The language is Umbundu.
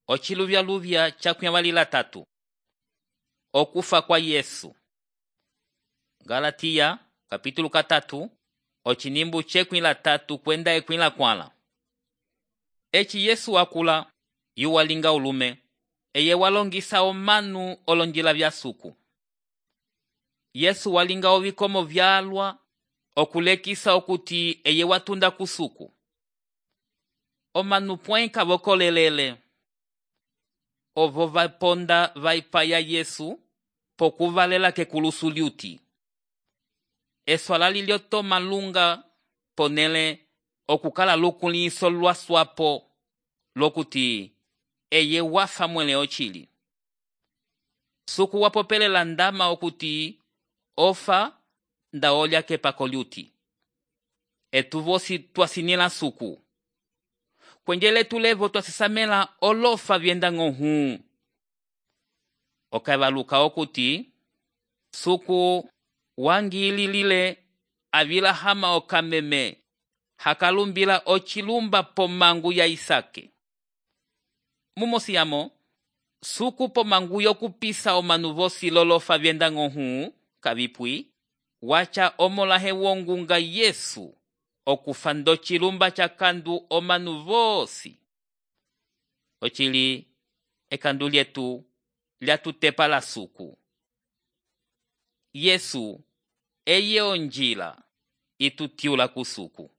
Ociluvyaluvya cakuyamalila tatu. Okufa kwa Yesu. Galatia kapítulo 3 ocinimbu cekwila tatu kwenda ekwila kwala. Eci Yesu wakula yuwalinga ulume eye walongisa omanu olonjila vya suku. Yesu walinga ovikomo vyalwa okulekisa okuti eye watunda kusuku. Omanu pwenka vokolelele ovo vaponda vaipaya Yesu pokuvalela kekulusu liuti. Eswala liliotoma lunga ponele okukala lukuliso lwaswapo lokuti eye wafa mwele ochili. Suku wapopelela ndama okuti ofa nda olya kepako liuti. Etuvosi twasinila suku. Kwenjele tulevo twasisamela olofa vyenda ng'ohuu. Okaivaluka okuti suku wangililile avila hama okameme hakalumbila ochilumba pomangu ya Isake. Mumosiyamo, suku pomangu yokupisa omanu vosi lolofa vyenda ng'ohuu kavipwi, wacha omolahe wongunga Yesu okufa ndo chilumba chakandu omanu vosi. Ochili ekandu lyetu lyatutepa la suku. Yesu eye onjila itutiula kusuku.